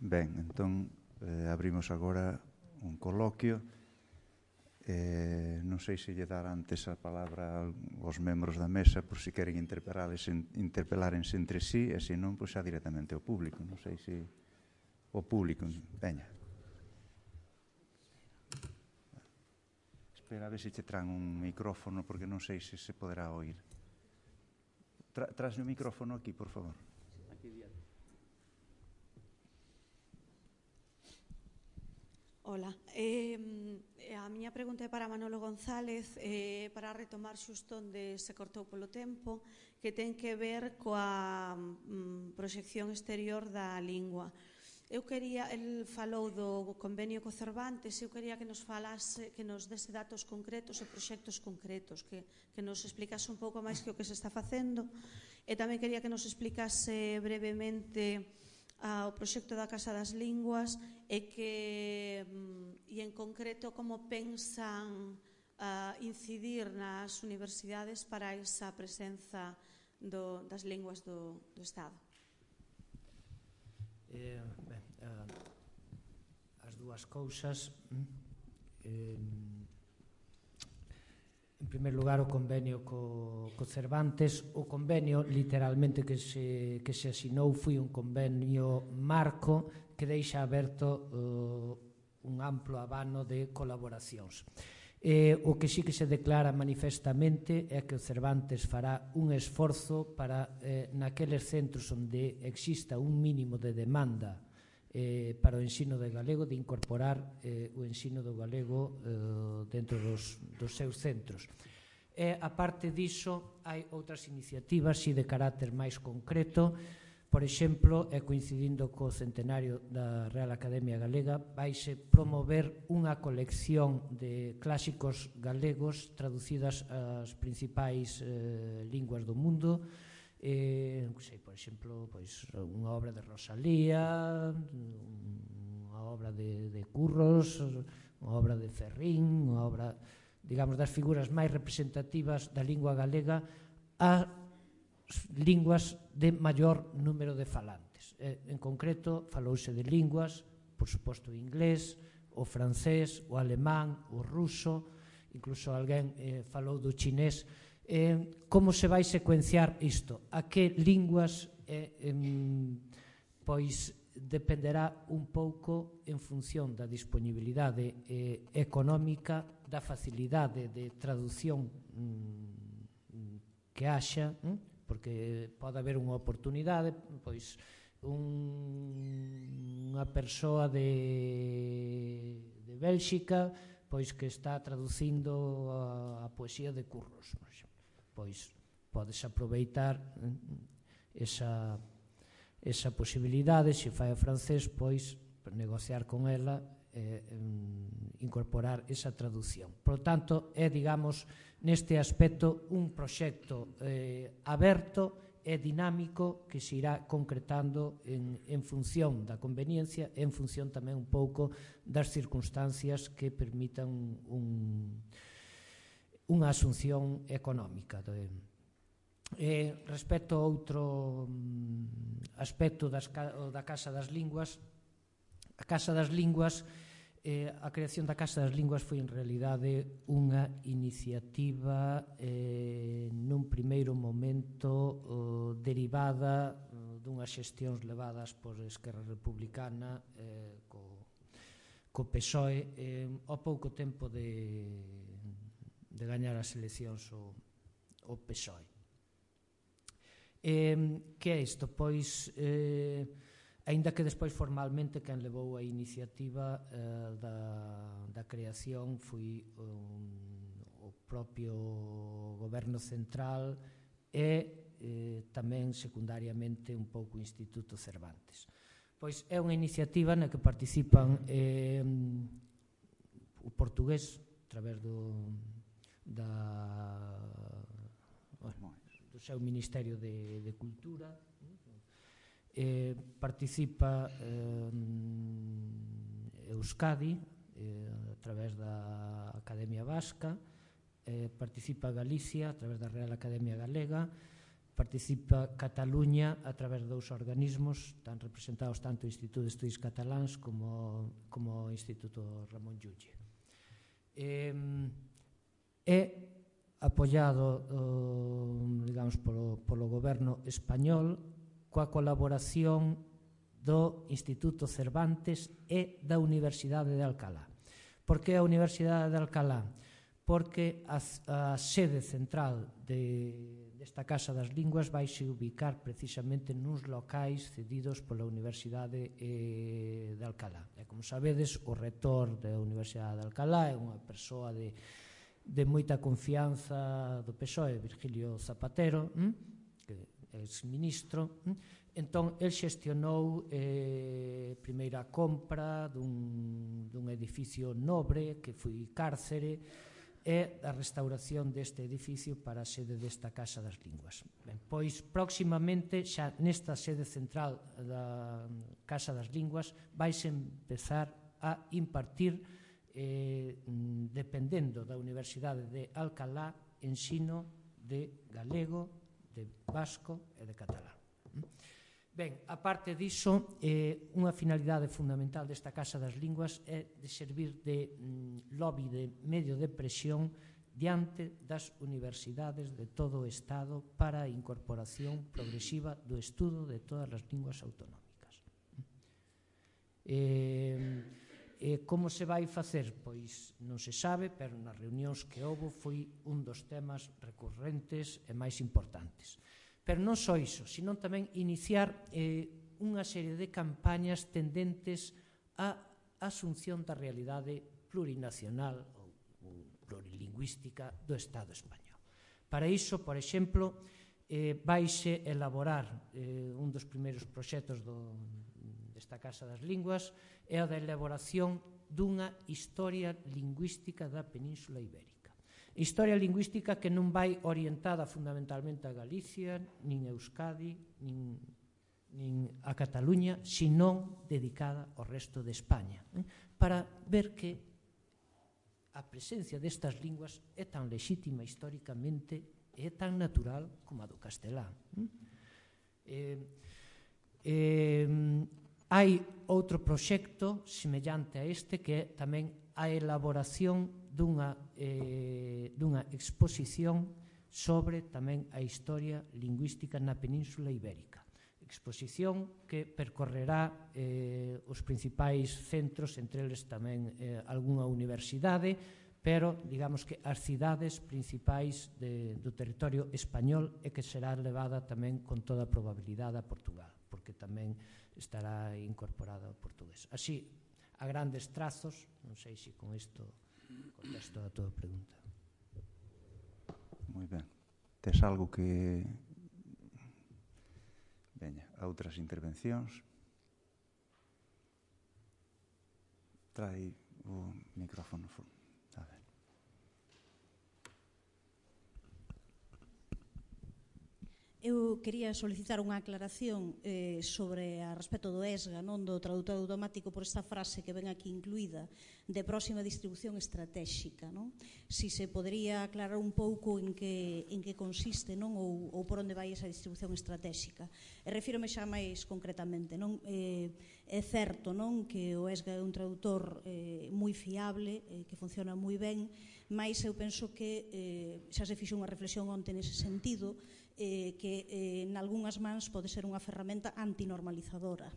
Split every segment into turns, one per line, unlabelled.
Ben, entón abrimos agora un coloquio. Non sei se lle dar antes a palabra aos membros da mesa por se queren interpelárense entre sí, e se non, pois xa directamente ao público. Non sei se o público, veña. Espera a ver se che traen un micrófono, porque non sei se se poderá oír. Trasme o micrófono aquí, por favor.
Hola, a miña pregunta é para Manolo González, para retomar xusto onde se cortou polo tempo, que ten que ver coa proxección exterior da lingua. El falou do convenio co Cervantes, eu quería que nos falase, que nos dese datos concretos e proxectos concretos, que nos explicase un pouco máis que o que se está facendo, e tamén quería que nos explicase brevemente o proxecto da Casa das Linguas e en concreto como pensan incidir nas universidades para esa presenza das linguas do Estado.
As dúas cousas. En primer lugar, o convenio co Cervantes. O convenio, literalmente, que se asinou foi un convenio marco que deixa aberto un amplo abano de colaboracións. O que sí que se declara manifestamente é que o Cervantes fará un esforzo para, naqueles centros onde exista un mínimo de demanda para o ensino de galego, de incorporar o ensino do galego dentro dos seus centros. A parte diso, hai outras iniciativas de carácter máis concreto. Por exemplo, coincidindo co centenario da Real Academia Galega, vaise promover unha colección de clásicos galegos traducidas ás principais linguas do mundo. Por exemplo, unha obra de Rosalía, unha obra de Curros, unha obra de Ferrín, unha obra, digamos, das figuras máis representativas da lingua galega a linguas de maior número de falantes. En concreto, falouse de linguas, por suposto, o inglés, o francés, o alemán, o ruso, incluso alguén falou do chinés. Como se vai secuenciar isto? A que linguas? Pois dependerá un pouco en función da disponibilidade económica, da facilidade de traducción que haxa, porque pode haber unha oportunidade, pois unha persoa de Bélxica, pois que está traducindo a poesía de Curros, por exemplo. Pois podes aproveitar esa posibilidade, se fai o francés, pois negociar con ela, incorporar esa traducción. Por lo tanto, é, digamos, neste aspecto un proxecto aberto e dinámico que se irá concretando en función da conveniencia e en función tamén un pouco das circunstancias que permitan unha asunción económica. Respecto a outro aspecto da Casa das Linguas, a Casa das Linguas, a creación da Casa das Linguas foi en realidade unha iniciativa nun primeiro momento derivada dunhas xestións levadas por Esquerra Republicana co PSOE ao pouco tempo de gañar as eleccións o PSOE. Que é isto? Pois, aínda que despois formalmente quen levou a iniciativa da creación foi o propio goberno central e tamén secundariamente un pouco o Instituto Cervantes. Pois é unha iniciativa na que participan o portugués a través do seu Ministerio de Cultura, participa Euskadi a través da Academia Vasca, participa Galicia a través da Real Academia Galega, participa Cataluña a través de 2 organismos, están representados tanto o Instituto de Estudios Cataláns como o Instituto Ramón Llull. É apoiado, digamos, polo goberno español coa colaboración do Instituto Cervantes e da Universidade de Alcalá. Por que a Universidade de Alcalá? Porque a sede central desta Casa das Linguas vai se ubicar precisamente nuns locais cedidos pola Universidade de Alcalá. E como sabedes, o rector da Universidade de Alcalá é unha persoa de moita confianza do PSOE, Virgilio Zapatero, que é ex-ministro. Entón, el xestionou primeiro a compra dun edificio nobre que foi cárcere e a restauración deste edificio para a sede desta Casa das Linguas. Ben, pois, próximamente, xa nesta sede central da Casa das Linguas, vais empezar a impartir, dependendo da Universidade de Alcalá, ensino de galego, de vasco e de catalán. Ben, a parte diso, unha finalidade fundamental desta Casa das Linguas é de servir de lobby, de medio de presión diante das universidades de todo o Estado para a incorporación progresiva do estudo de todas as linguas autonómicas. Como se vai facer? Pois non se sabe, pero nas reunións que houbo foi un dos temas recurrentes e máis importantes. Pero non só iso, senón tamén iniciar unha serie de campañas tendentes á asunción da realidade plurinacional ou plurilingüística do Estado español. Para iso, por exemplo, vaise elaborar un dos primeiros proxectos desta Casa das Linguas é a da elaboración dunha historia lingüística da Península Ibérica. Historia lingüística que non vai orientada fundamentalmente a Galicia, nin a Euskadi, nin a Cataluña, senón dedicada ao resto de España, para ver que a presencia destas linguas é tan lexítima históricamente e é tan natural como a do castelán. Hai outro proxecto semellante a este que é tamén a elaboración dunha exposición sobre tamén a historia lingüística na Península Ibérica. Exposición que percorrerá os principais centros, entre eles tamén algunha universidade, pero digamos que as cidades principais do territorio español e que será levada tamén con toda a probabilidade a Portugal, porque tamén estará incorporada ao portugués. Así, a grandes trazos, non sei se con isto contesto a tua pregunta.
Moi ben. Tes algo que... Veña, a outras intervencións. Trai o micrófono. A ver.
Eu quería solicitar unha aclaración sobre a respecto do ESGA, non do tradutor automático, por esta frase que ven aquí incluída de próxima distribución estratégica, non? Si se podería aclarar un pouco en que consiste, non, ou por onde vai esa distribución estratégica. E refírome xa máis concretamente, non? É certo, non, que o ESGA é un tradutor moi fiable, que funciona moi ben, mais eu penso que xa se fixo unha reflexión onte nese sentido, que en algunhas mans pode ser unha ferramenta antinormalizadora.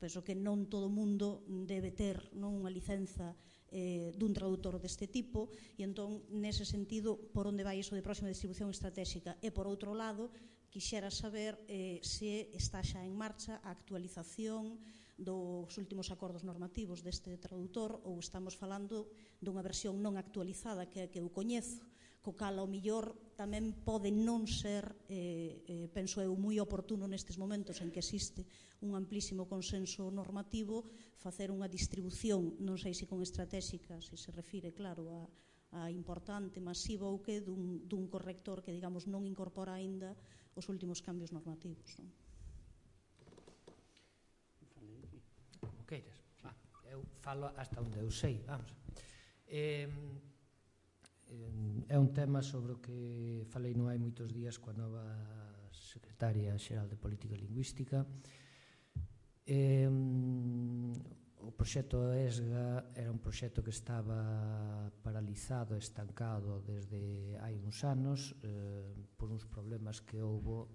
Penso que non todo o mundo debe ter unha licenza dun traductor deste tipo e entón, nese sentido, por onde vai iso de próxima distribución estratégica. E, por outro lado, quixera saber se está xa en marcha a actualización dos últimos acordos normativos deste tradutor ou estamos falando dunha versión non actualizada que é a que eu coñezo, co cal ao millor tamén pode non ser, penso eu, moi oportuno nestes momentos en que existe un amplísimo consenso normativo, facer unha distribución, non sei se con estratégica, se se refire, claro, a importante, masiva ou que, dun corrector que, digamos, non incorpora aínda os últimos cambios normativos.
Como queiras. Eu falo hasta onde eu sei, vamos. É un tema sobre o que falei non hai moitos días coa nova secretaria xeral de Política Lingüística. O proxecto ESGA era un proxecto que estaba paralizado, estancado desde hai uns anos por uns problemas que houbo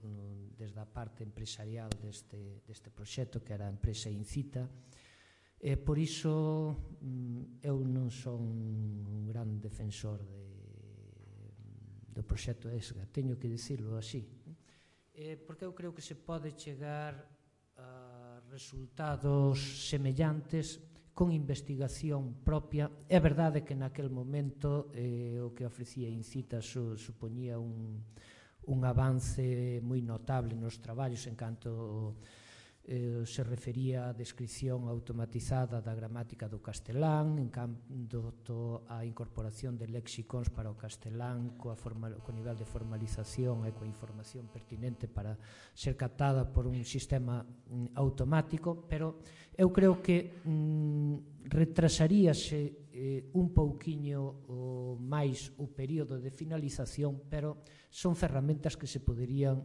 desde a parte empresarial deste proxecto, que era a empresa Incita. Por iso eu non son un gran defensor do proxecto ESGA, teño que dicirlo así, porque eu creo que se pode chegar a resultados semellantes con investigación propia. É verdade que naquel momento o que ofrecía Incita supoñía un avance moi notable nos traballos en canto se refería a descripción automatizada da gramática do castelán, en canto a incorporación de léxicons para o castelán co nivel de formalización e coa información pertinente para ser captada por un sistema automático, pero eu creo que retrasaríase un pouquiño máis o período de finalización, pero son ferramentas que se poderían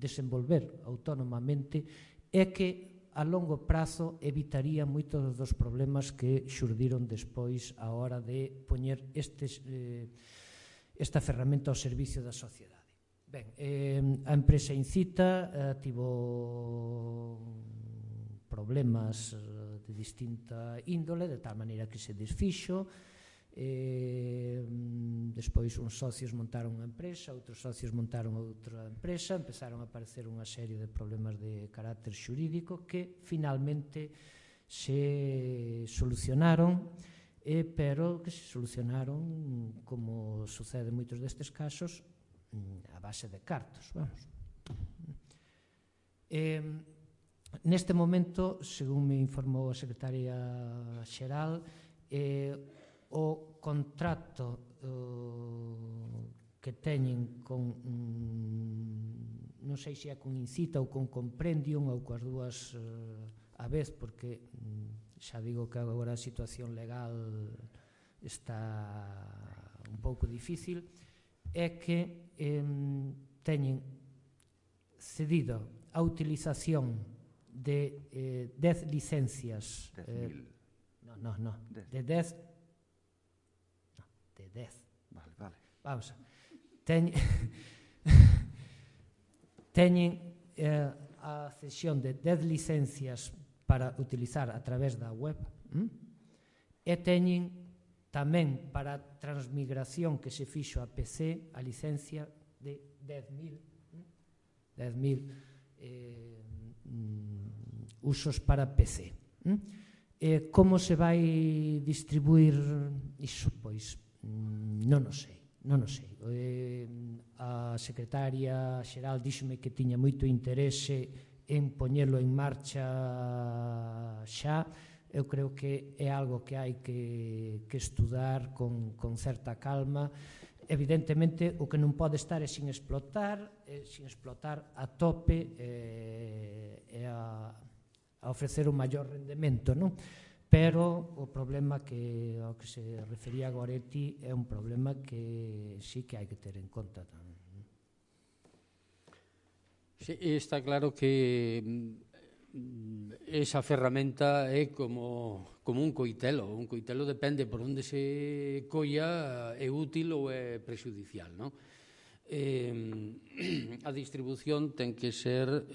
desenvolver autónomamente e que a longo prazo evitaría moitos dos problemas que xurdiron despois a hora de poñer esta ferramenta ao servicio da sociedade. Ben, a empresa Incita tivo problemas de distinta índole, de tal maneira que se desfixo. Despois uns socios montaron unha empresa, outros socios montaron outra empresa, empezaron a aparecer unha serie de problemas de carácter xurídico que finalmente se solucionaron, pero que se solucionaron, como sucede en moitos destes casos, a base de cartos, vamos. Neste momento, según me informou a secretaria xeral, o contrato que teñen con, non sei se é con Incita ou con Comprendium ou coas dúas a vez, porque xa digo que agora a situación legal está un pouco difícil, é que teñen cedido a utilización de 10 licencias de 10.
Vale.
Vamos a teñen a cesión de 10 licencias para utilizar a través da web e teñen tamén para transmigración que se fixo a PC a licencia de 10.000 usos para PC. Como se vai distribuir iso? Pois non o sei. A secretaria xeral díxome que tiña moito interese en poñelo en marcha xa. Eu creo que é algo que hai que estudar con certa calma. Evidentemente, o que non pode estar é sin explotar a tope e a ofrecer un maior rendemento, non? Pero o problema ao que se refería Goretti é un problema que sí que hai que ter en conta tamén.
Sí, está claro que esa ferramenta é como un coitelo. Un coitelo depende por onde se colla, é útil ou é prexudicial, non? A distribución ten que ser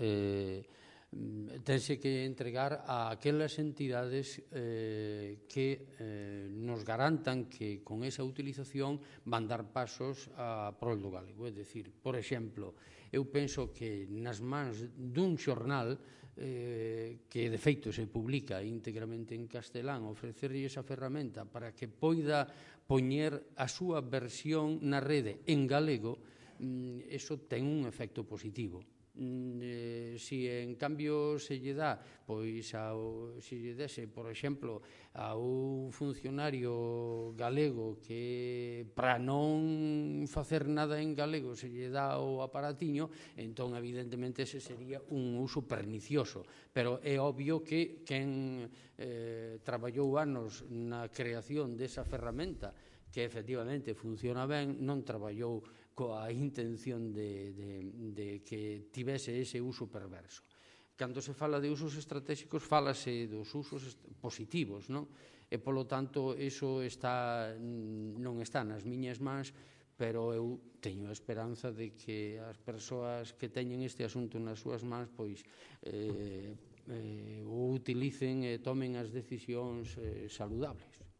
tense que entregar a aquelas entidades que nos garantan que con esa utilización van dar pasos a prol do galego. É dicir, por exemplo, eu penso que nas mans dun xornal que de feito se publica íntegramente en castelán, ofrecerlle esa ferramenta para que poida poñer a súa versión na rede en galego, eso ten un efecto positivo. Si en cambio se lle dá, pois se lle dese, por exemplo, a un funcionario galego que para non facer nada en galego se lle dá o aparatiño, entón evidentemente ese sería un uso pernicioso, pero é obvio que quen traballou anos na creación desa ferramenta que efectivamente funciona ben, non traballou coa intención de que tivese ese uso perverso. Cando se fala de usos estratégicos, fálase dos usos positivos, non? E, polo tanto, iso non está nas miñas mans, pero eu teño a esperanza de que as persoas que teñen este asunto nas súas mans pois o utilicen e tomen as decisións saludables.